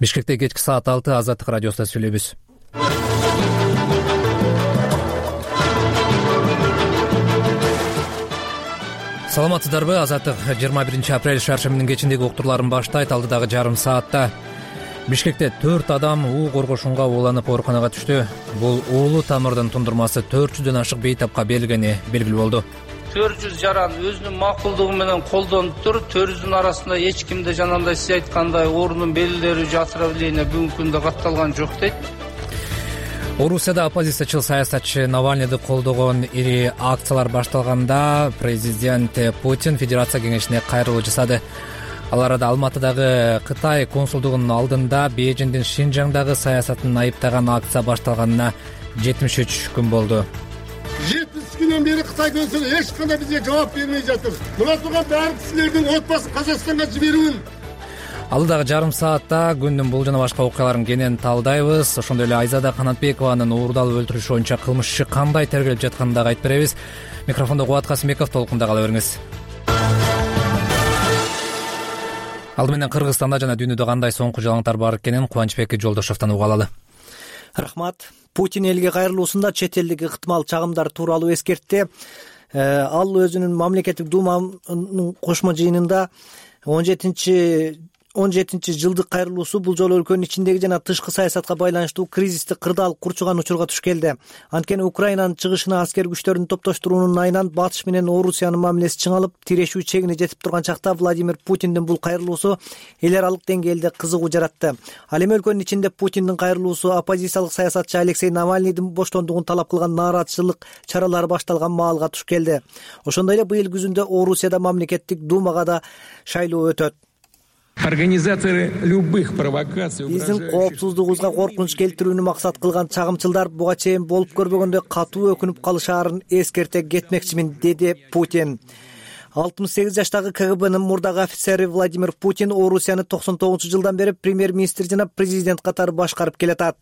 Бишкекте кечки саат 6 Азаттык радиосунда сүйлөйбүз. Саламатсыздарбы? Азаттык 21 апрель шаршембинин кечиндеги уктурларын баштайт. Алдыдагы жарым саатта Бишкекте 4 адам уу коргошунга ууланып ооруканага түштү. Бул уулуу тамырдын тундурмасы 400дөн ашык бейтапка берилгени белгилүү болду. 400 жаран өзүнүн макулдугу менен колдонуп тур. 400дүн арасында эч кимде жанагындай сиз айткандай оорунун белгилери же отравление бүгүнкү күндө катталган жок дейт. Орусияда оппозициячыл саясатчы Навальныйды колдогон ири акциялар башталганда президент Путин Федерация кеңешине кайрылуу жасады. Ал арада Алматыдагы Кытай консулдугунун алдында Бейжиңдин Шинжаңдагы саясатын айыптаган акция башталганына 73 күн болду. 70 күндөн бери Кытай консулу эч кандай бизге жооп бермей жатыр. Мына турган баары кишилердин отбасын Казакстанга жиберүүн. Алдыдагы жарым саатта күндүн бул жана башка окуяларын кенен талдайбыз. Ошондой эле Айзада Канатбекованын уурдалып өлтүрүшү боюнча кылмыш иши кандай тергелип жатканын дагы айтып беребиз. Микрофондо Кубат Касымбеков, толкунда кала бериңиз. Алды менен Кыргызстанда жана дүйнөдө кандай соңку жалаңтар бар экенин Кубанычбек Жолдошовдон уга алалы. Рахмат. Путин элге кайрылуусунда чет элдик ыктымал чагымдар тууралуу эскертти. Ал өзүнүн мамлекеттик думанын кошмо жыйынында 17 жылдык кайрылуусу бул жолу өлкөнүн ичиндеги жана тышкы саясатка байланыштуу кризисти кырдаал курчуган учурга туш келди. Анткени Украинанын чыгышына аскер күчтөрүн топтоштуруунун айынан Батыш менен Орусиянын мамилеси чыңалып, тирешүү чегине жетип турган чакта Владимир Путиндин бул кайрылуусу эл аралык деңгээлде кызыгуу жаратты. Ал эми өлкөнүн ичинде Путиндин кайрылуусу оппозициялык саясатчы Алексей Навальныйдын боштондугун талап кылган нааразычылык чаралары башталган маалга туш келди. Ошондой эле быйыл күзүндө Орусияда мамлекеттик думага да шайлоо өтөт. Организаторы любых провокаций, биздин коопсуздугубузга коркунуч келтирүүнү максат кылган чагымчылдар буга чейин болуп көрбөгөндөй катуу өкүнүп калышаарын эскерте кетмекчимин, деди Путин. 68 жаштагы КГБнын мурдагы офицери Владимир Путин Орусияны 99-жылдан бери премьер-министр жана президент катары башкарып келатат.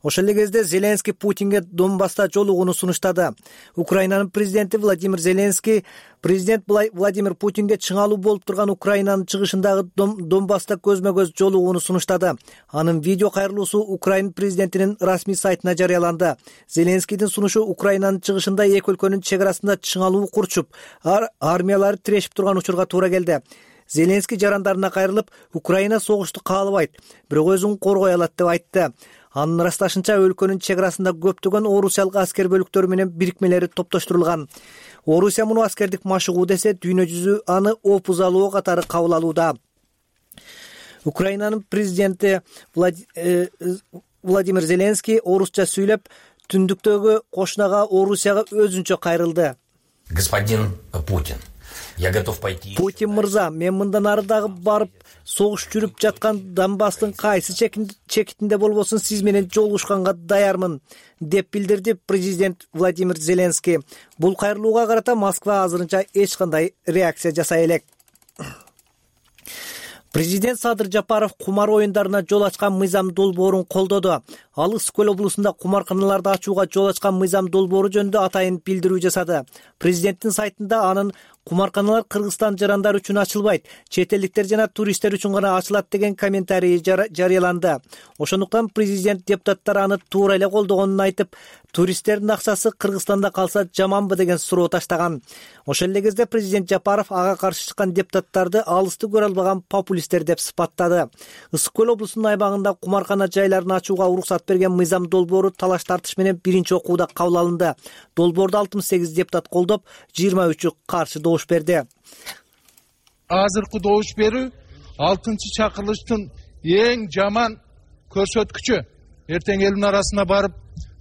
Ошол эле кезде Зеленский Путинге Донбасста жолугууну сунуштады. Украинанын президенти Владимир Зеленский президент Владимир Путинге чыңалуу болуп турган Украинанын чыгышындагы Донбасста көзмө-көз жолугууну сунуштады. Анын видео кайрылуусу Украина президентинин расмий сайтына жарыяланды. Зеленскийдин сунушу Украинанын чыгышында эки өлкөнүн чек арасында чыңалуу курчуп, армиялары тирешип турган учурга туура келди. Зеленский жарандарына кайрылып, Украина согушту каалабайт, бирок өзүн коргой алат деп айтты. Анын ырасташынча өлкөнүн чек арасында көптөгөн орусиялык аскер бөлүктөрү менен бирикмелери топтоштурулган. Орусия муну аскердик машыгуу десе, дүйнө жүзү аны опузалоо катары кабыл алууда. Украинанын президенти Владимир Зеленский орусча сүйлөп, түндүктөгү кошунага Орусияга өзүнчө кайрылды. Господин Путин, я готов пойти. Путин мырза, мен мындан ары дагы барып, согуш жүрүп жаткан Донбасстын кайсы чекитинде болбосун сиз менен жолугушканга даярмын, деп билдирди президент Владимир Зеленский. Бул кайрылууга карата Москва азырынча эч кандай реакция жасай элек. Президент Садыр Жапаров кумар оюндарына жол ачкан мыйзам долбоорун колдоду. Ал Ысык көл облусунда кумарканаларды ачууга жол ачкан мыйзам долбоору жөнүндө атайын билдирүү жасады. Президенттин сайтында анын кумарканалар Кыргызстан жарандары үчүн ачылбайт, чет элдиктер жана туристтер үчүн гана ачылат деген комментарий жарыяланды. Ошондуктан президент депутаттар аны туура эле колдогонун айтып, туристтердин акчасы Кыргызстанда калса жаманбы деген суроо таштаган. Ошол эле кезде президент Жапаров ага каршы чыккан депутаттарды алысты көрө албаган популисттер деп сыпаттады. Ысык көл облусунун аймагында кумаркана жайларын ачууга уруксат берген мыйзам долбоору талаш тартыш менен биринчи окууда кабыл алынды. Долбоорду 68 депутат колдоп, 23 каршы добуш берди. Азыркы добуш берүү 6-чакырылыштын эң жаман көрсөткүчү. Эртең элдин арасына барып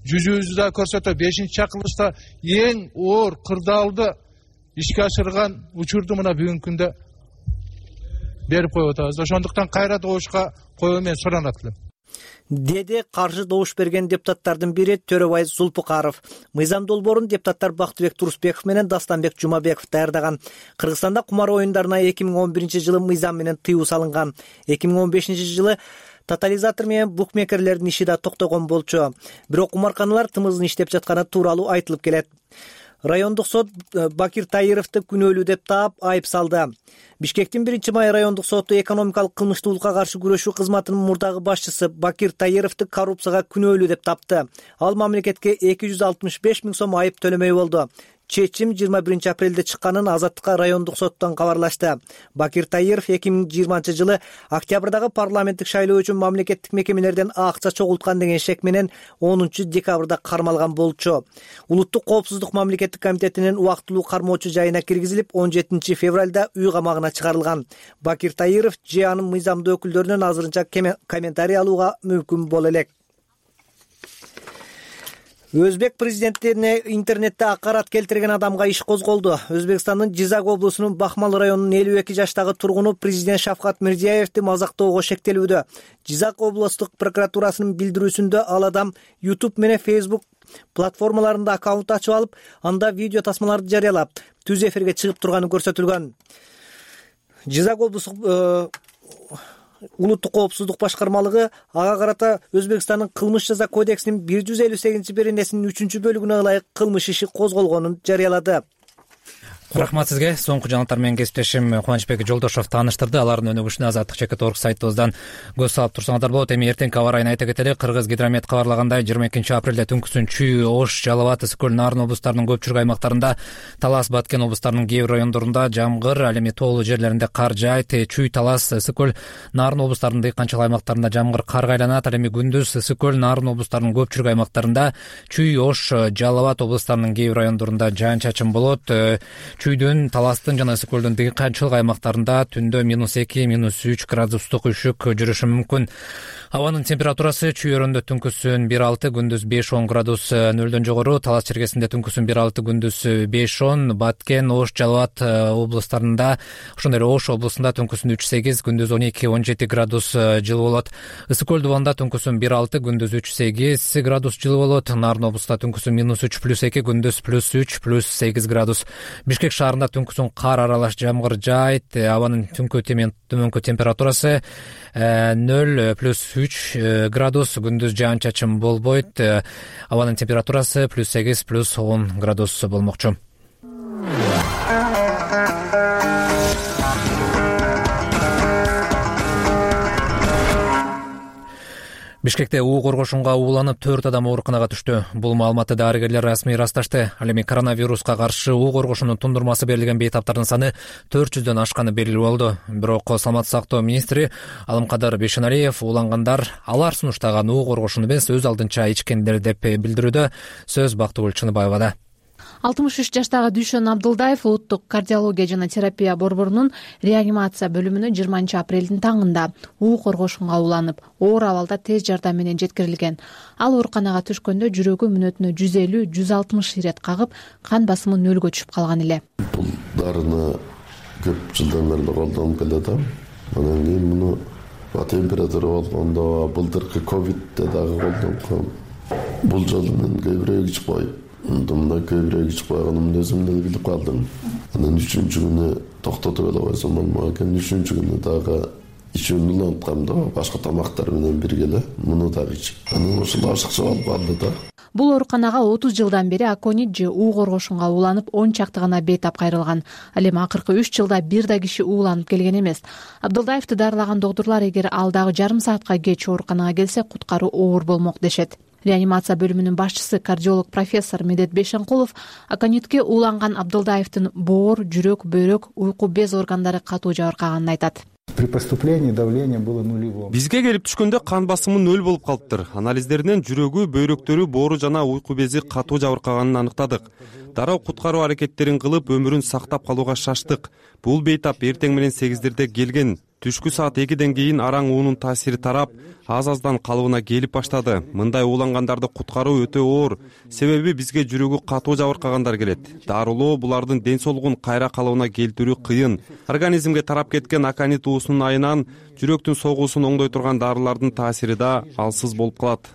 жүзүүбүздү да көрсөтө. 5-чакырылышта эң оор кырдаалды ишке ашырган учурду мына бүгүнкү күндө берип коюп атабыз. Ошондуктан кайра добушка коюу менен суранат элем, деди каршы добуш берген депутаттардын бири Төрөбай Зулпукаров. Мыйзам долбоорун депутаттар Бактыбек Турусбеков менен Дастанбек Жумабеков даярдаган. Кыргызстанда кумар оюндарына 2011-жылы мыйзам менен тыюу салынган. 2015-жылы тотализатор менен букмекерлердин иши да токтогон болчу. Бирок кумарканалар тымызын иштеп жатканы тууралуу айтылып келет. Райондук сот Бакир Таировду күнөөлүү деп таап айып салды. Бишкектин 1-май райондук соту экономикалык кылмыштуулукка каршы күрөшүү кызматынын мурдагы башчысы Бакир Таировду коррупцияга күнөөлүү деп тапты. Ал мамлекетке 265 000 сом айып төлөмөй болду. Чечим 21 апрелде чыкканын Азаттыкка райондук соттон кабарлашты. Бакир Таиров 2020 жылы октябрдагы парламенттик шайлоо үчүн мамлекеттик мекемелерден акча чогулткан деген шек менен 10 декабрда кармалган болчу. Улуттук коопсуздук мамлекеттик комитетинин убактылуу кармоочу жайына киргизилип, 17 февралда үй камагына чыгарылган. Бакир Таиров же анын мыйзамдуу өкүлдөрүнөн азырынча комментарий алууга мүмкүн боло элек. Өзбек президентине интернетте акарат келтирген адамга иш козголду. Өзбекстандын Жизак облусунун Бахмал районунун 52 жаштагы тургуну президент Шавкат Мирзиёевди мазактоого шектелүүдө. Жизак облустук прокуратурасынын билдирүүсүндө ал адам YouTube менен Facebook платформаларында аккаунт ачып алып, анда видео тасмаларды жарыялап, түз эфирге чыгып турганы көрсөтүлгөн. Жизак облустук Улуттук коопсуздук башкармалыгы ага карата Өзбекстандын кылмыш жаза кодексинин 158-беренесинин 3-бөлүгүнө ылайык кылмыш иши козголгонун жарыялады. Рахмат сизге. Соңку жаңылыктар менен кесиптешим Кубанычбек Жолдошов тааныштырды. Алардын өнүгүшүнө Азаттык.org сайтыбыздан көз салып турсаңыздар болот. Эми эртеңки аба ырайын айта кетели. Кыргыз гидромет кабарлагандай 22 апрелде түнкүсүн Чүй, Ош, Жалал абад, Ысык көл, Нарын облустарынын көпчүлүк аймактарында, Талас, Баткен облустарынын кээ бир райондорунда жамгыр, ал эми тоолуу жерлеринде кар жаайт. Чүй, Талас, Ысык көл, Нарын облустарынын дыйканчылык аймактарында жамгыр карга айланат. Ал эми күндүз Ысык көл, Нарын облустарынын көпчүлүк аймактарында, Чүй, Ош, Жалал абад облустарынын кээ бир райондорунда жаан-чачын болот. Чүйдүн, Таластын жана Ысык көлдүн дыйканчылык аймактарында түндө -2, -3 градустук үшүк жүрүшү мүмкүн. Абанын температурасы Чүй өрөндө түнкүсүн 1-6, күндүз 5-10 градус нөлдөн жогору. Талас чергесинде түнкүсүн 1-6, күндүз 5-10. Баткен, Ош, Жалал абад облустарында, ошондой эле Ош облусунда түнкүсүн 3-8, күндүз 12-17 градус жылы болот. Ысык көл дубанда түнкүсүн 1-6, күндүз 3-8 градус жылы болот. Нарын облусунда түнкүсүн -3+2, күндүз +3+8 градус. Бишкек шаарында түнкүсүн кар аралаш жамгыр жаайт. Абанын төмөнкү температурасы 0+3 градус, күндүз жаан-чачын болбойт. Абанын температурасы +8+10 градус болмокчу. Бишкекте уу коргошунга ууланып 4 адам ооруканага түштү. Бул маалыматты дарыгерлер расмий ырасташты. Ал эми коронавируска каршы уу коргошунун тундурмасы берилген бейтаптардын саны 400дөн ашканы белгилүү болду. Бирок саламаттык сактоо министри Алымкадыр Бейшеналиев уулангандар алар сунуштаган уу коргошуну эмес, өз алдынча ичкендер деп билдирүүдө. Сөз Бактыгүл Чыныбаевада. 63 жаштагы Дүйшөн Абдылдаев улуттук кардиология жана терапия борборунун реанимация бөлүмүнө 20 апрелдин таңында уу коргошунга ууланып, оор абалда тез жардам менен жеткирилген. Ал ооруканага түшкөндө жүрөгү мүнөтүнө 150-160 ирет кагып, кан басымы нөлгө түшүп калган эле. Бул дарыны көп жылдан бери колдонуп келатам. Анан кийин муну температура болгондо, былтыркы ковидте дагы колдонгом. Бул жолу мен көбүрөөк ичип коюп, мындай көбүрөөк ичип койгонумду өзүм деле билип калдым. Анан 3-күнү күнү токтотуп эле койсом болмок экен. 3-күнү күнү дагы ичүүнү уланткам да, башка тамактар менен бирге эле муну дагы ичип. Анан ошол ашыкча болуп калды да. Бул ооруканага 30 жылдан бери аконит же уу коргошунга ууланып 10 чакты гана бейтап кайрылган. Ал эми акыркы 3 жылда бир да киши ууланып келген эмес. Абдылдаевди дарылаган доктурлар эгер ал дагы жарым саатка кеч ооруканага келсе, куткаруу оор болмок дешет. Реанимация бөлүмүнүн башчысы кардиолог профессор Медет Бейшенкулов аконитке ууланган Абдылдаевдин боор, жүрөк, бөйрөк, уйку без органдары катуу жабыркаганын айтат. При поступлении давление было нулевым. Бизге келип түшкөндө кан басымы 0 болуп калыптыр. Анализдеринен жүрөгү, бөйрөктөрү, боору жана уйку бези катуу жабыркаганын аныктадык. Дароо куткаруу аракеттерин кылып, өмүрүн сактап калууга шаштык. Бул бейтап эртең менен 8-дерде келген. Түшкү саат 2ден кийин араң уунун таасири тарап, аз-аздан калыбына келип баштады. Мындай уулангандарды куткаруу өтө оор. Себеби бизге жүрөгү катуу жабыркагандар келет. Дарылоо булардын ден соолугун кайра калыбына келтирүү кыйын. Организмге тарап кеткен аконит уусунун айынан жүрөктүн согуусун оңдой турган дарылардын таасири да алсыз болуп калат.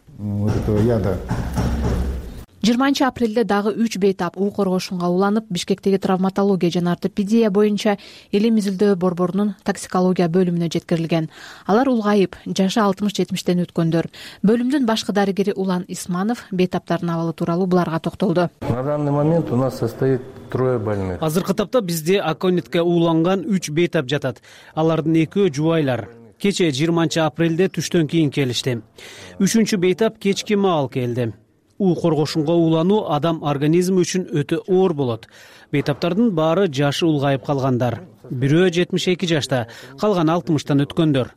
20-апрелде дагы 3 бейтап уу коргошунга уланып, Бишкектеги травматология жана ортопедия боюнча Элим Изилдөө борборунун токсикология бөлүмүнө жеткирилген. Алар улгайып, жашы 60-70тен өткөндөр. Бөлүмдүн башкы дарыгери Улан Исманов бейтаптардын абалы тууралуу буларга токтолду. На данный момент у нас состоит 3 больных. Азыркы тапта бизде аконитке ууланган 3 бейтап жатат. Алардын 2 жубайлар. Кече 20-апрелде түштөн кийин келишти. 3-чү бейтап кечки маал келди. уу коргошунга уулануу адам организми үчүн өтө оор болот. Бейтаптардын баары жашы улгайып калгандар. Бирөө 72 жашта, калган 60тан өткөндөр.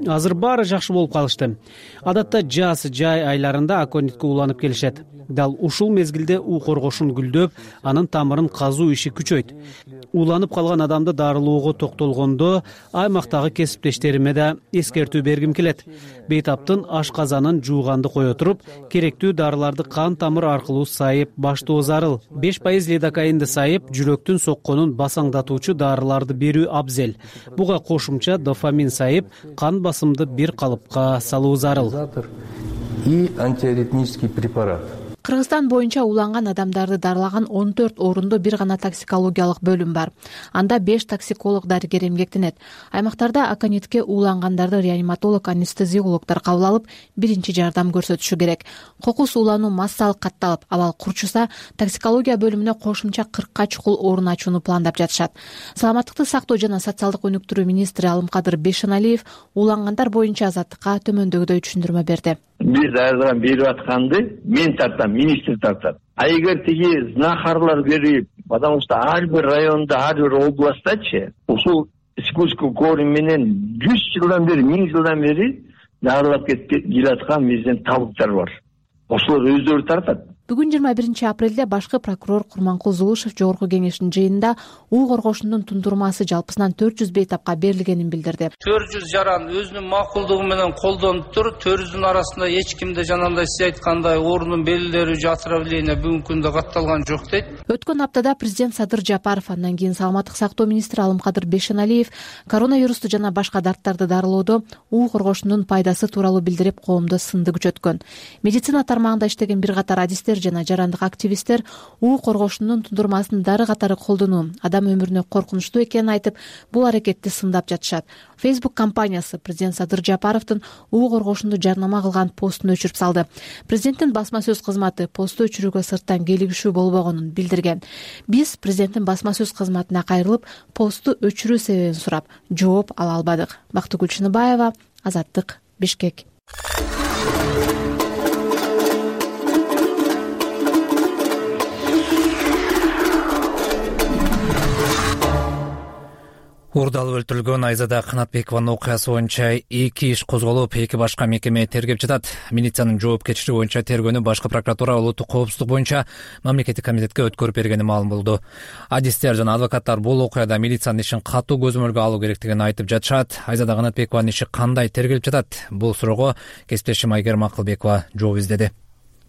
Азыр баары жакшы болуп калышты. Адатта жаз, жай айларында аконитке ууланып келишет. Дал ушул мезгилде уу коргошун гүлдөп, анын тамырын казуу иши күчөйт. Ууланып калган адамды дарылоого токтолгондо аймактагы кесиптештериме да эскертүү бергим келет. Бейтаптын ашказанын жууганды кое туруп, керектүү дарыларды кан тамыр аркылуу сайып баштоо зарыл. 5% лидокаинди сайып, жүрөктүн сокконун басаңдатуучу дарыларды берүү абзел. Буга кошумча дофамин сайып, кан басымды бир калыпка салуу зарыл. И антиаритмический препарат. Кыргызстан боюнча ууланган адамдарды дарылаган 14 орундуу бир гана токсикологиялык бөлүм бар. Анда 5 токсиколог дарыгер эмгектенет. Аймактарда аконитке уулангандарды реаниматолог, анестезиологдор кабыл алып, биринчи жардам көрсөтүшү керек. Кокус уулануу массалык катталып, абал курчуса, токсикология бөлүмүнө кошумча 40 чукул орун ачууну пландап жатышат. Саламаттыкты сактоо жана социалдык өнүктүрүү министри Алымкадыр Бейшеналиев уулангандар боюнча азаттыкка төмөндөгүдөй түшүндүрмө берди. Биз айрылган берип атканды мен тартам, министр тартат. А эгер тиги знахарлар берип, потому что ар бир районда, ар бир областачы ушул спуску корм менен 100 жылдан бери, 1000 жылдан бери дарылап келаткан биздин табыттар бар. Ошолор өздөрү тартат. Бүгүн 21-апрелде башкы прокурор Курманкул Зулушев жогорку кеңештин жыйынында уу коргошундун тундурмасы жалпысынан 400 бейтапка берилгенин билдирди. 400 жаран өзүнүн макулдугу менен колдонуп туруп, 400 арасында эч кимде жанагындай сиз айткандай оорунун белгилери же отравление бүгүнкү күндө катталган жок дейт. Өткөн аптада президент Садыр Жапаров, андан кийин саламаттык сактоо министри Алымкадыр Бейшеналиев коронавирусту жана башка дарттарды дарылоодо уу коргошундун пайдасы тууралуу билдирип, коомдо сынды күчөткөн. Медицина тармагында иштеген бир катар адистер жана жарандык активисттер уу коргошундун тундурмасын дары катары колдонуу адам өмүрүнө коркунучтуу экенин айтып, бул аракетти сындап жатышат. Facebook компаниясы президент Садыр Жапаровдун уу коргошунду жарнама кылган постун өчүрүп салды. Президенттин басма сөз кызматы посту өчүрүүгө сырттан келигишүү болбогонун билдирген. Биз президенттин басма сөз кызматына кайрылып, посту өчүрүү себебин сурап, жооп ала албадык. Бактыгүл Чыныбаева, Азаттык, Бишкек. Уурдалып өлтүрүлгөн Айзада Канатбекованын окуясы боюнча 2 иш козголуп, 2 башка мекеме тергеп жатат. Милициянын жоопкерчилиги боюнча тергөөнү башкы прокуратура улуттук коопсуздук боюнча мамлекеттик комитетке өткөрүп бергени маалым болду. Адистер жана адвокаттар бул окуяда милициянын ишин катуу көзөмөлгө алуу керектигин айтып жатышат. Айзада Канатбекованын иши кандай тергелип жатат? Бул суроого кесиптешим Айгерим Акылбекова жооп издеди.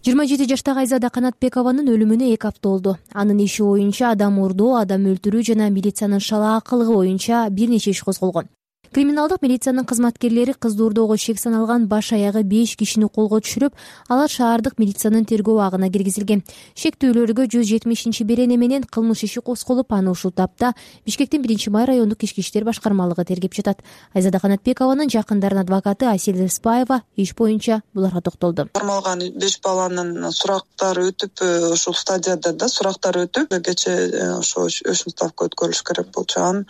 27 жаштагы Айзада Канатбекованын өлүмүнө 2 апта болду. Анын иши боюнча адам уурдоо, адам өлтүрүү жана милициянын шалаакылыгы боюнча бир нече иш козголгон. Криминалдык милициянын кызматкерлери кызды уурдоого шек саналган баш аягы 5 кишини колго түшүрүп, алар шаардык милициянын тергөө абагына киргизилген. Шектүүлөргө 170-берене менен кылмыш иши козголуп, аны ушул тапта Бишкектин 1-май райондук ички иштер башкармалыгы тергеп жатат. Айзада Канатбекованын жакындарынын адвокаты Асель Еспаева иш боюнча буларга токтолду. Кармалган 5 баланын сурактары өтүп, ушул стадияда да сурактар өтүп, кече ошо өчмө ставка өткөрүлүш керек болчу.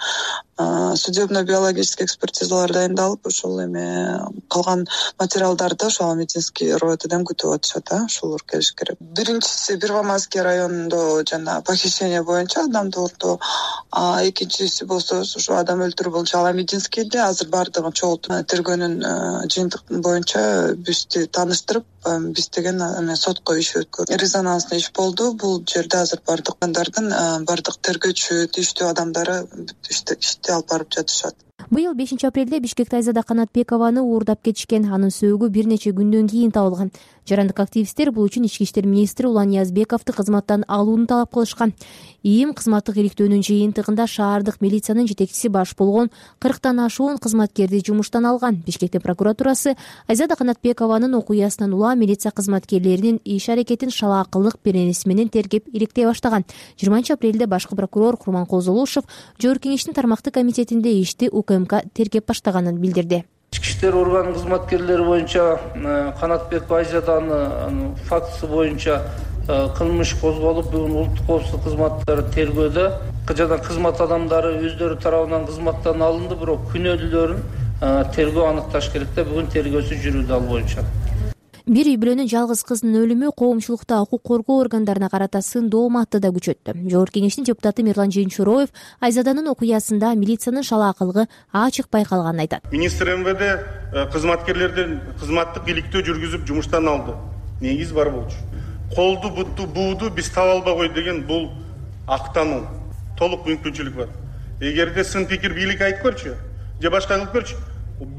Судебно-биологический экспертизалар дайындалып, ошол эме калган материалдарды ошол медицинский роетеден күтүп атышат, ошолор келиш керек. Биринчиси Первомайский районунда жана похищение боюнча адамды уурдоо, экинчиси болсо ошо адам өлтүрүү боюнча Аламединскийде. Азыр бардыгын чогултуп тергөөнүн жыйынтык боюнча бизди тааныштырып, биз деген сотко иш өткөрдүк. Резонанстуу иш болду. Бул жерде азыр бардык тергөөчү, тийиштүү адамдары ишти алып барып жатышат. Быйыл 5 апрелде Бишкекте Айзада Канатбекованы уурдап кетишкен. Анын сөөгү бир нече күндөн кийин табылган. Жарандык активисттер бул үчүн Ички иштер министри Улан Ниязбековду кызматтан алууну талап кылышкан. ИИМ кызматтык иликтөөнүн жыйынтыгында шаардык милициянын жетекчиси баш болгон 40тан ашуун кызматкерди жумуштан алган. Бишкектин прокуратурасы Айзада Канатбекованын окуясынан улам милиция кызматкерлеринин иш-аракетин шалаакылык беренеси менен тергеп иликтей баштаган. 20 апрелде башкы прокурор Курманкул Золушев Жогорку кеңештин тармактык комитетинде ишти УКМК тергеп баштаганын билдирди. Ички иштер орган кызматкерлери боюнча Канатбекова Айзаданын фактысы боюнча кылмыш козголуп, бүгүн улуттук коопсуздук кызматтары тергөөдө жана кызмат адамдары өздөрү тарабынан кызматтан алынды, бирок күнөөлүүлөрүн тергөө аныкташ керек да, бүгүн тергөөсү жүрүүдө ал боюнча. Бир үй бүлөнүн жалгыз кызынын өлүмү коомчулукта укук коргоо органдарына карата сындоо матты да күчөттү. Жогорку кеңештин депутаты Мирлан Жыйынчуроев Айзаданын окуясында милициянын шалаакылыгы ачык байкалганын айтат. Министр МВД кызматкерлерден кызматтык иликтөө жүргүзүп жумуштан алды. Негиз бар болчу. Колду, бутту, бууду биз таба албагой деген бул актануу. Толук мүмкүнчүлүк бар. Эгерде сын пикир бийлик айтып көрчү, же башка кылып көрчү,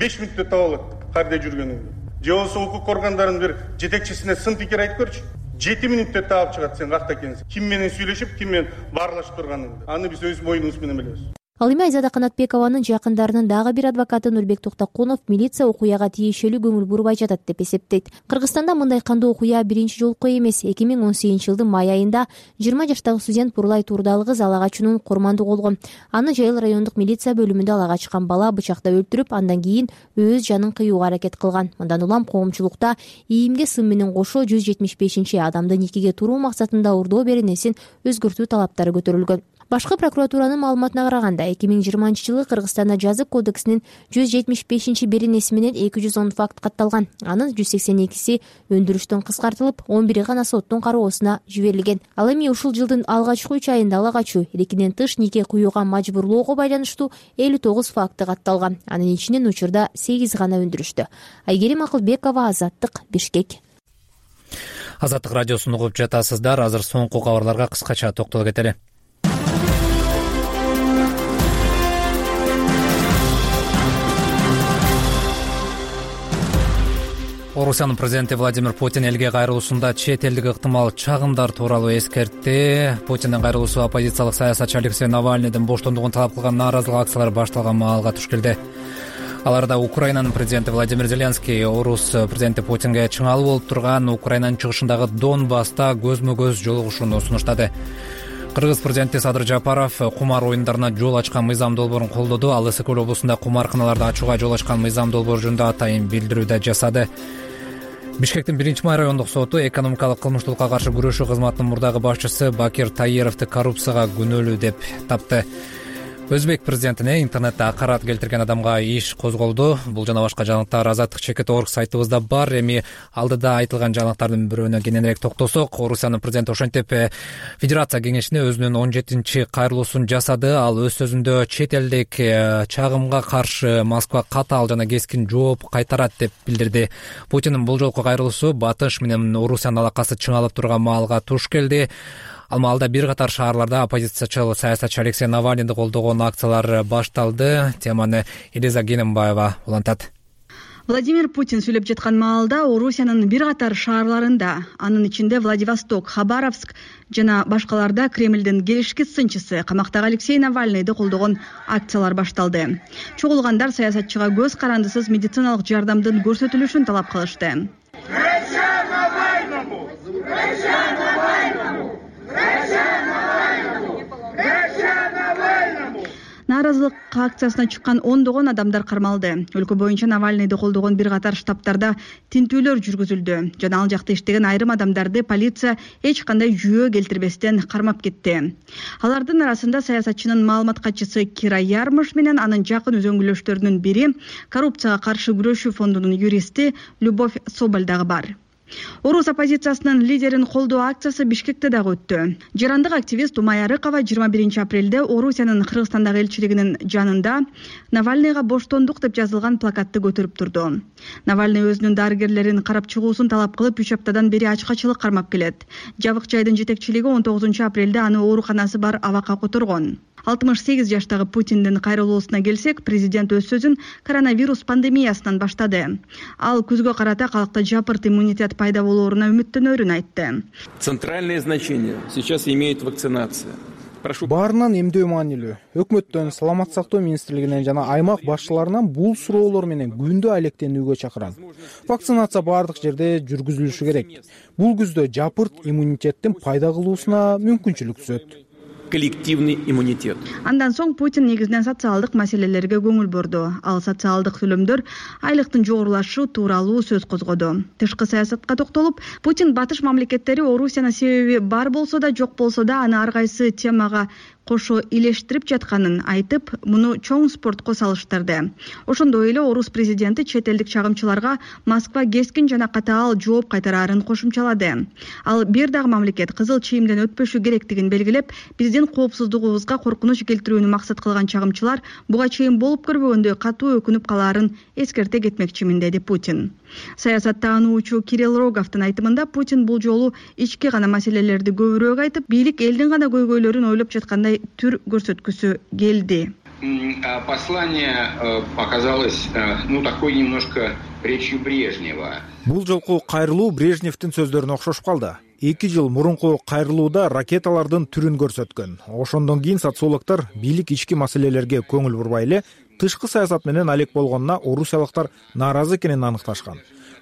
5 мүнөттө таба алат каарде жүргөнүңдү. Же болсо укук органдарынын бир жетекчисине сын пикир айтып көрчү, 7 мүнөттө таап чыгат сен какта экенсиң. Ким менен сүйлөшүп, ким менен баарлашып турганыңды. Аны биз өз моюнубуз менен билебиз. Ал эми Айзада Канатбекованын жакындарынын дагы бир адвокаты Нурбек Токтокунов милиция окуяга тиешелүү көңүл бурбай жатат деп эсептейт. Кыргызстанда мындай кандуу окуя биринчи жолку эмес. 2018-жылдын май айында 20 жаштагы студент Бурлай Турдалы кыз ала качуунун курмандыгы болгон. Аны Жайыл райондук милиция бөлүмүндө ала качкан бала бычактап өлтүрүп, андан кийин өз жанын кыюуга аракет кылган. Мындан улам коомчулукта ИИМге сын менен кошо 175-адамды никеге туруу максатында урдоо беренесин өзгөртүү талаптары көтөрүлгөн. Башкы прокуратуранын маалыматына караганда 2020-жылы Кыргызстанда жазык кодексинин 175-беренеси менен 210 факт катталган. Анын 182си өндүрүштөн кыскартылып, 11 гана соттун кароосуна жиберилген. Ал эми ушул жылдын алгачкы 3 айында ала качуу, эркинен тыш нике куюуга мажбурлоого байланыштуу 59 факты катталган. Анын ичинен учурда 8 гана өндүрүштү. Айгерим Акылбекова, Азаттык, Бишкек. Азаттык радиосун угуп жатасыздар. Азыр соңку кабарларга кыскача токтолуп кетели. Орусиянын президенти Владимир Путин элге кайрылуусунда чет элдик ыктымал чагымдар тууралуу эскертти. Путиндин кайрылуусу оппозициялык саясатчы Алексей Навальныйдын боштондугун талап кылган нааразылык акциялары башталган маалга туш келди. Аларда Украинанын президенти Владимир Зеленский Орус президенти Путинге чыңалуу болуп турган Украинанын чыгышындагы Донбасста көзмө-көз жолугушууну сунуштады. Кыргыз президенти Садыр Жапаров кумар оюндарына жол ачкан мыйзам долбоорун колдоду. Ал Ысык облусунда кумарканаларды ачууга жол ачкан мыйзам долбоору жөнүндө атайын билдирүү да жасады. Бишкектин 1-май райондук соту экономикалык кылмыштуулукка каршы күрөшүү кызматынын мурдагы башчысы Бакир Таировду коррупцияга күнөөлүү деп тапты. Өзбек президентине интернетте акарат келтирген адамга иш козголду. Бул жана башка жаңылыктар Азаттык Чекет.орг сайтыбызда бар. Эми алдыда айтылган жаңылыктардын бирөөнө кененирээк токтолсок, Орусиянын президенти ошентип Федерация кеңешине өзүнүн 17-чи кайрылуусун жасады. Ал өз сөзүндө чет элдик чагымга каршы Москва катаал жана кескин жооп кайтарат деп билдирди. Путиндин бул жолку кайрылуусу Батыш менен Орусиянын алакасы чыңалып турган маалга туш келди. Ал маалда бир катар шаарларда оппозициячыл саясатчы Алексей Навальныйды колдогон акциялар башталды. Теманы Элиза Генембаева улантат. Владимир Путин сүйлөп жаткан маалда Орусиянын бир катар шаарларында, анын ичинде Владивосток, Хабаровск жана башкаларда Кремлдин келишки сынчысы камактагы Алексей Навальныйды колдогон акциялар башталды. Чогулгандар саясатчыга көз карандысыз медициналык жардамдын көрсөтүлүшүн талап кылышты. Нааразылык акциясына чыккан ондогон адамдар кармалды. Өлкө боюнча Навальныйды колдогон бир катар штабтарда тинтүүлөр жүргүзүлдү. Жана ал жакта иштеген айрым адамдарды полиция эч кандай жүйө келтирбестен кармап кетти. Алардын арасында саясатчынын маалымат катчысы Кира Ярмыш менен анын жакын үзөңгүлөштөрүнүн бири коррупцияга каршы күрөшүү фондунун юристи Любовь Соболь дагы бар. Орус оппозициясынын лидерин колдоо акциясы Бишкекте дагы өттү. Жарандык активист Умай Арыкова 21 апрелде Орусиянын Кыргызстандагы элчилигинин жанында Навальныйга боштондук деп жазылган плакатты көтөрүп турду. Навальный өзүнүн дарыгерлерин карап чыгуусун талап кылып 3 аптадан бери ачкачылык кармап келет. Жабык жайдын жетекчилиги 19 апрелде аны ооруканасы бар абакка которгон. 68 жаштагы Путиндин кайрылуусуна келсек, президент өз сөзүн коронавирус пандемиясынан баштады. Ал күзгө карата калкта жапырт иммунитет пайда болооруна үмүттөнөрүн айтты. Центральное значение сейчас имеет вакцинация. Баарынан эмдөө маанилүү. Өкмөттөн, Саламаттык сактоо министрлигинен жана аймак башчыларынан бул суроолор менен күндө алектенүүгө чакырам. Вакцинация баардык жерде жүргүзүлүшү керек. Бул күздө жапырт иммунитеттин пайда кылуусуна мүмкүнчүлүк түзөт. Коллективный иммунитет. Андан соң Путин негизинен социалдык маселелерге көңүл бурду. Ал социалдык төлөмдөр, айлыктын жогорулашы тууралуу сөз козгоду. Тышкы саясатка токтолуп, Путин батыш мамлекеттери Орусияны себеби бар болсо да, жок болсо да, аны ар кайсы темага кошо илештирип жатканын айтып, муну чоң спортко салыштырды. Ошондой эле орус президенти чет элдик чагымчыларга Москва кескин жана катаал жооп кайтарарын кошумчалады. Ал бир дагы мамлекет кызыл чийимден өтпөшү керектигин белгилеп, биздин коопсуздугубузга коркунуч келтирүүнү максат кылган чагымчылар буга чейин болуп көрбөгөндөй катуу өкүнүп калаарын эскерте кетмекчимин, деди Путин. Саясаттаануучу Кирилл Роговдун айтымында Путин бул жолу ички гана маселелерди көбүрөөк айтып, бийлик элдин гана көйгөйлөрүн ойлоп жаткандай түр көрсөткүсү келди. Послание оказалось, такой немножко речью Брежнева. Бул жолку кайрылуу Брежневдин сөздөрүнө окшошуп калды. 2 жыл мурунку кайрылууда ракеталардын түрүн көрсөткөн. Ошондон кийин социологдор бийлик ички маселелерге көңүл бурбай эле тышкы саясат менен алек болгонуна орусиялыктар нааразы экенин аныкташкан.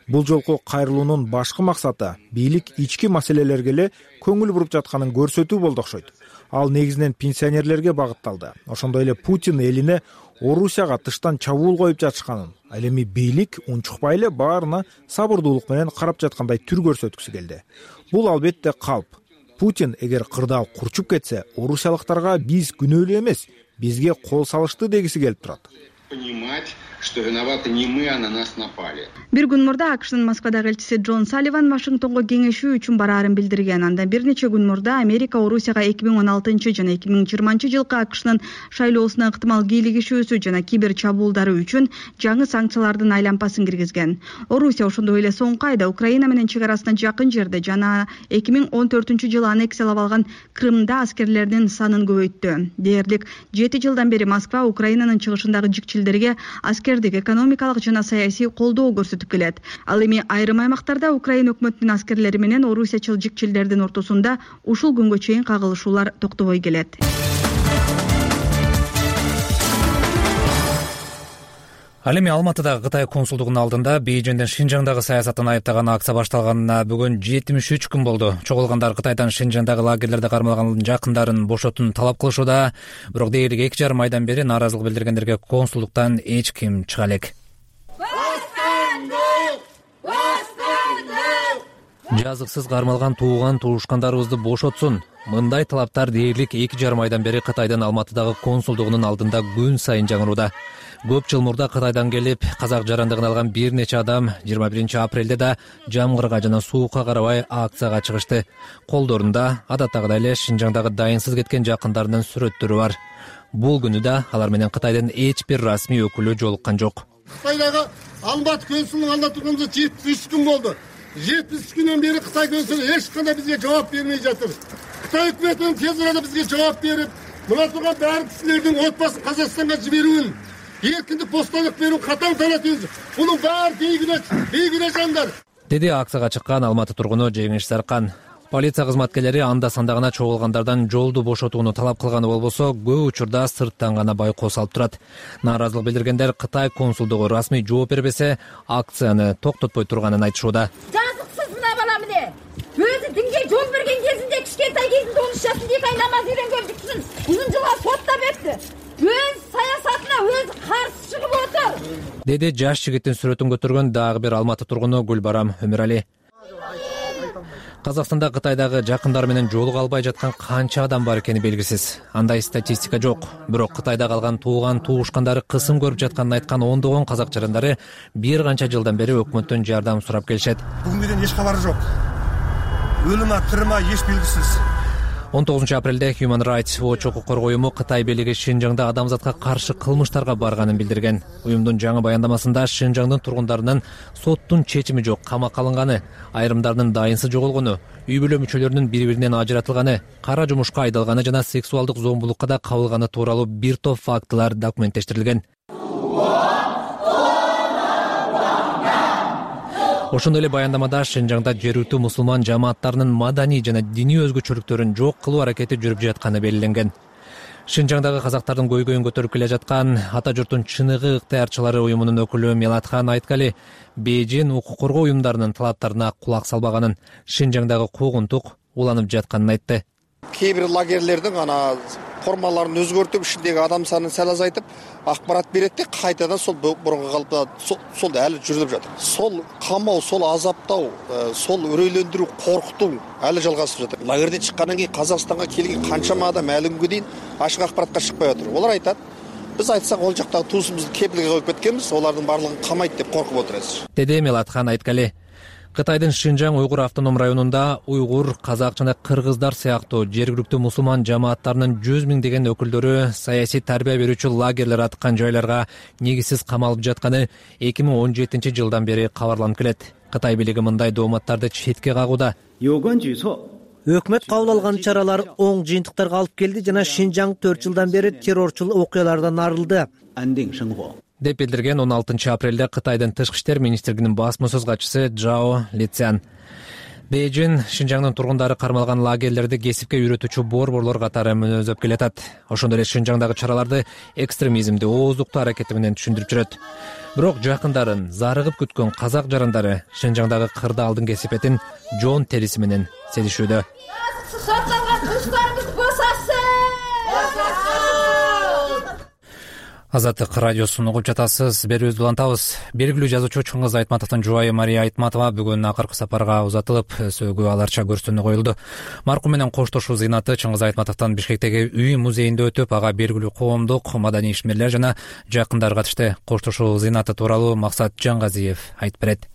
Бул жолку кайрылуунун башкы максаты бийлик ички маселелерге эле көңүл буруп жатканын көрсөтүү болду окшойт. Ал негизинен пенсионерлерге багытталды. Ошондой эле Путин элине Орусияга тыштан чабуул коюп жатышканын, ал эми бийлик унчукпай эле баарына сабырдуулук менен карап жаткандай түр көрсөткүсү келди. Бул албетте калп. Путин эгер кырдаал курчуп кетсе, орусиялыктарга биз күнөөлүү эмес, бизге кол салышты дегиси келип турат. Понимать, что виноваты не мы, а на нас напали. Бир күн мурда АКШнын Москвадагы элчиси Джон Салливан Вашингтонго кеңешүү үчүн бараарын билдирген. Андан бир нече күн мурда Америка Орусияга 2016 жана 2020 жылкы АКШнын шайлоосуна ыктымал кийлигишүүсү жана кибер чабуулдары үчүн жаңы санкциялардын айлампасын киргизген. Орусия ошондой эле соңку айда Украина менен чек арасына жакын жерде жана 2014 жылы аннексиялап алган Крымда аскерлердин санын көбөйттү. Дээрлик 7 жылдан бери Москва Украинанын чыгышындагы жикчилдерге аскердик, экономикалык жана саясий колдоо көрсөтүп келет. Ал эми айрым аймактарда Украина өкмөтүнүн аскерлери менен орусиячыл жикчилдердин ортосунда ушул күнгө чейин кагылышуулар токтобой келет. Ал эми Алматыдагы Кытай консулдугунун алдында Бейжиңдин Шинжаңдагы саясатын айыптаган акция башталганына бүгүн 73 күн болду. Чогулгандар Кытайдан Шинжаңдагы лагерлерде кармалган жакындарын бошотууну талап кылышууда. Бирок дээрлик 2,5 айдан бери нааразылык билдиргендерге консулдуктан эч ким чыга элек. Жазыксыз кармалган тууган туушкандарыбызды бошотсун. Мындай талаптар дээрлик 2,5 айдан бери Кытайдын Алматыдагы консулдугунун алдында күн сайын жаңырууда. Көп жыл мурда Кытайдан келип, казак жарандыгын алган бир нече адам 21 апрелде да жамгырга жана суукка карабай акцияга чыгышты. Колдорунда адаттагыдай эле Шинжаңдагы дайынсыз кеткен жакындарынын сүрөттөрү бар. Бул күнү да алар менен Кытайдын эч бир расмий өкүлү жолуккан жок. Кытайдагы Алматы консулунун алдында турганыбызга 73 күн болду. 73 күндөн бери Кытай консулу эч кандай бизге жооп бермей жатыр. Кытай өкмөтүнүн тез арада бизге жооп берип, мына турган баардык кишилердин отбасын Казакстанга жиберүүн, эркиндик бостонлук берүүн катаң талап этебиз. Мунун баары бейгүнөө жандар. Деди акцияга чыккан Алматы тургуну Жеңиш Саркан. Полиция кызматкерлери анда санда гана чогулгандардан жолду бошотууну талап кылганы болбосо, көп учурда сырттан гана байкоо салып турат. Нааразылык билдиргендер Кытай консулдугу расмий жооп бербесе, акцияны токтотпой турганын айтышууда. Жазыксыз мына бала эмне? Өзү динге жол берген кезинде кичкентай кезинде 13 жашында эки ай намаз үйрөнгөн бүткүн. Узун жылга соттоп өттү. Өз саясатына өзү каршы чыгып отур. Деди жаш жигиттин сүрөтүн көтөргөн дагы бир Алматы тургуну Гүлбарам Өмүрали. Казакстанда Кытайдагы жакындар менен жолуга албай жаткан канча адам бар экени белгисиз. Андай статистика жок. Бирок Кытайда калган тууган туушкандары кысым көрүп жатканын айткан ондогон казак жарандары бир канча жылдан бери өкмөттөн жардам сурап келишет. Бүгүнгө чейин эч кабары жок. Өлүмө, тириме эч белгисиз. 19 апрелде Human Rights Watch укук коргоо уюму Кытай бийлиги Шинжаңда адамзатка каршы кылмыштарга барганын билдирген. Уюмдун жаңы баяндамасында Шинжаңдын тургундарынын соттун чечими жок камакка алынганы, айрымдарынын дайынсыз жоголгону, үй бүлө мүчөлөрүнүн бири-биринен ажыратылганы, кара жумушка айдалганы жана сексуалдык зомбулукка да кабылганы тууралуу бир топ фактылар документтештирилген. Ошондой эле баяндамада Шинжаңда жергиликтүү мусулман жамааттарынын маданий жана диний өзгөчөлүктөрүн жок кылуу аракети жүрүп жатканы белгиленген. Шинжаңдагы казактардын көйгөйүн көтөрүп келе жаткан ата журттун чыныгы ыктыярчылары уюмунун өкүлү Мелатхан Айткали Бейжин укук коргоо уюмдарынын талаптарына кулак салбаганын, Шинжаңдагы куугунтук уланып жатканын айтты. Кээ бир лагерлердин формаларын өзгөртүп, ишиндеги адам санын сал азайтып, акпарат берет да кайтадан сол мурунку калыпта сол әлі жүрүп жатыр. Сол камоо, сол азаптоо, сол үрөйлөндүрүү, коркутуу әлі жалгасып жатыр. Лагерден чыккандан кийин Казакстанга келген канчама адам әлі күнгө чейин ашык акпаратка чыкпай отур. Олар айтат, биз айтсак ол жактагы туусубузду кепилге коюп кеткенбиз, олардын баардыгын камайт деп коркуп отурабыз. Деди Мелатхан Айткали. Кытайдын Шинжаң уйгур автоном районунда уйгур, казак жана кыргыздар сыяктуу жергиликтүү мусулман жамааттарынын 100 миңдеген өкүлдөрү саясий тарбия берүүчү лагерлер аткан жайларга негизсиз камалып жатканы 2017 жылдан бери кабарланып келет. Кытай бийлиги мындай дооматтарды четке кагууда. Өкмөт кабыл алган чаралар оң жыйынтыктарга алып келди жана Шинжаң 4 жылдан бери террорчул окуялардан арылды деп билдирген 16 апрелде Кытайдын Тышкы иштер министрлигинин басма-сөз катчысы Джао Лицян. Бейжин Шинжаңдын тургундары кармалган лагерлерди кесипке үйрөтүүчү борборлор катары мүнөздөп келатат. Ошондой эле Шинжаңдагы чараларды экстремизмди, ооздукту аракети менен түшүндүрүп жүрөт. Бирок жакындарын зарыгып күткөн казак жарандары Шинжаңдагы кырдаалдын кесипетин жон териси менен сезишүүдө. Азаттык радиосун угуп жатасыз. Берүүбүздү улантабыз. Белгилүү жазуучу Чыңгыз Айтматовдун жубайы Мария Айтматова бүгүн акыркы сапарга узатылып, сөөгү аларча көрсөтүүнү коюлду. Маркум менен коштошуу зыйнаты Чыңгыз Айтматовдун Бишкектеги үй музейинде өтүп, ага белгилүү коомдук, маданий ишмерлер жана жакындар катышты. Коштошуу зыйнаты тууралуу Максат Жангазиев айтып берет.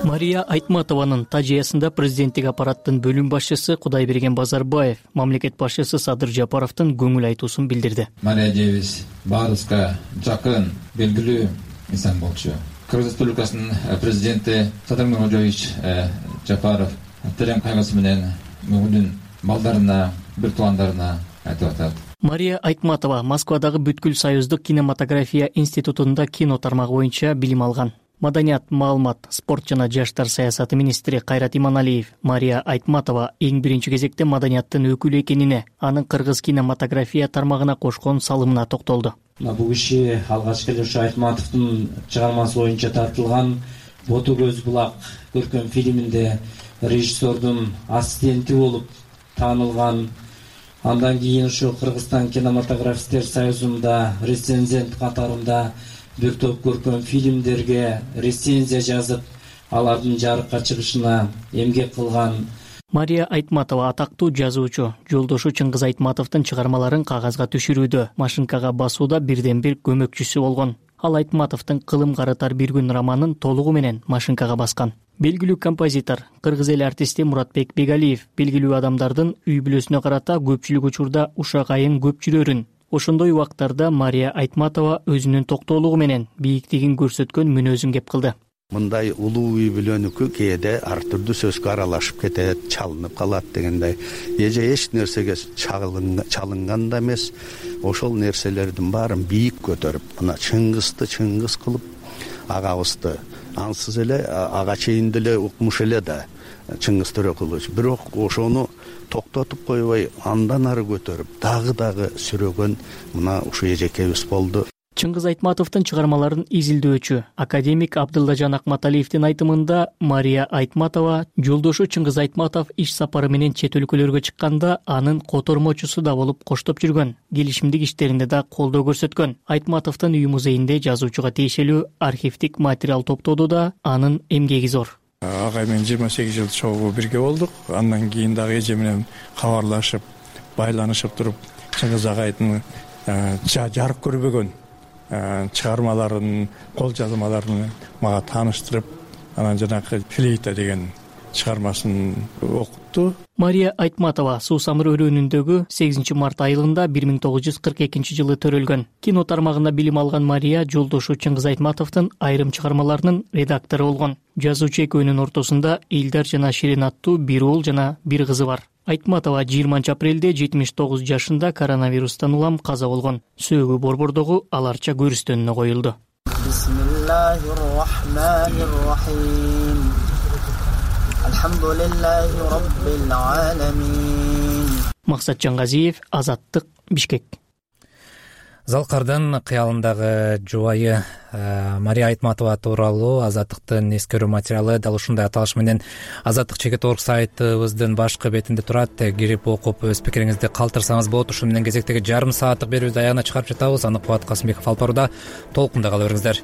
Мария Айтматованын тажыясында президенттик аппараттын бөлүм башчысы Кудайберген Базарбаев, мамлекет башчысы Садыр Жапаровдун көңүл айтуусун билдирди. Мария Девис баарыбызга жакын, белгилүү инсан болчу. Кыргыз Республикасынын президенти Садыр Мирзиёевич Жапаров терең кайгысы менен бүгүнүн балдарына, бир туугандарына айтып атат. Мария Айтматова Москвадагы Бүткүл Союздук кинематография институтунда кино тармагы боюнча билим алган. Маданият, маалымат, спорт жана жаштар саясаты министри Кайрат Иманалиев Мария Айтматова эң биринчи кезекте маданияттын өкүлү экенине, анын кыргыз кинематография тармагына кошкон салымына токтолду. Бул киши алгачкы эле ушу Айтматовдун чыгармасы боюнча тартылган Боту көз булак көркөм фильминде режиссердун ассистенти болуп таанылган. Андан кийин ушу Кыргызстан кинематографисттер союзунда рецензент катарында бир топ көркөм фильмдерге рецензия жазып, алардын жарыкка чыгышына эмгек кылган. Мария Айтматова атактуу жазуучу, жолдошу Чыңгыз Айтматовдун чыгармаларын кагазга түшүрүүдө, машинкага басууда бирден бир көмөкчүсү болгон. Ал Айтматовдун Кылым карытар бир күн романын толугу менен машинкага баскан. Белгилүү композитор, кыргыз эл артисти Муратбек Бегалиев белгилүү адамдардын үй бүлөсүнө карата көпчүлүк учурда ушакайын көп жүрөрүн. Ошондой убактарда Мария Айтматова өзүнүн токтоолугу менен бийиктигин көрсөткөн мүнөзүн кеп кылды. Мындай улуу үй бүлөнүкү кээде ар түрдүү сөзгө аралашып кетет, чалынып калат дегендей. Эже эч нерсеге чалынган да эмес. Ошол нерселердин баарын бийик көтөрүп, мына Чыңгызды Чыңгыз кылып, агабызды ансыз эле ага чейин деле укмуш эле да Чыңгыз Төрөкулович. Бирок ошону токтотуп койбой, андан ары көтөрүп, дагы сүрөгөн мына ушу эжекебиз болду. Чыңгыз Айтматовдун чыгармаларын изилдөөчү академик Абдыллажан Акматалиевдин айтымында Мария Айтматова жолдошу Чыңгыз Айтматов иш сапары менен чет өлкөлөргө чыкканда анын котормочусу да болуп коштоп жүргөн, келишимдик иштеринде да колдоо көрсөткөн. Айтматовдун үй музейинде жазуучуга тиешелүү архивдик материал топтоодо да анын эмгеги зор. Агай менен 28 жыл чогуу бирге болдук. Андан кийин дагы эже менен кабарлашып, байланышып туруп, Чыңгыз агайдын жарык көрбөгөн чыгармаларын, кол жазмаларын мага тааныштырып, анан жанагы флейта деген чыгармасын окутту. Мария Айтматова Суусамыр өрөөнүндөгү 8 март айылында 1942 жылы төрөлгөн. Кино тармагында билим алган Мария жолдошу Чыңгыз Айтматовдун айрым чыгармаларынын редактору болгон. Жазуучу экөөнүн ортосунда Илдар жана Ширин аттуу бир уул жана бир кызы бар. Айтматова 20 апрелде 79 жашында коронавирустан улам каза болгон. Сөөгү борбордогу аларча көрүстөнүнө коюлду. Максат Жаңгазиев, Азаттык, Бишкек. Залкардын кыялындагы жубайы Мария Айтматова тууралуу Азаттыктын эскерүү материалы дал ушундай аталыш менен Азаттык чекит орг сайтыбыздын башкы бетинде турат. Кирип окуп өз пикириңизди калтырсаңыз болот. Ушу менен кезектеги жарым сааттык берүүбүздү аягына чыгарып жатабыз. Аныкболот Касымбеков алып барууда. Толкунда кала бериңиздер.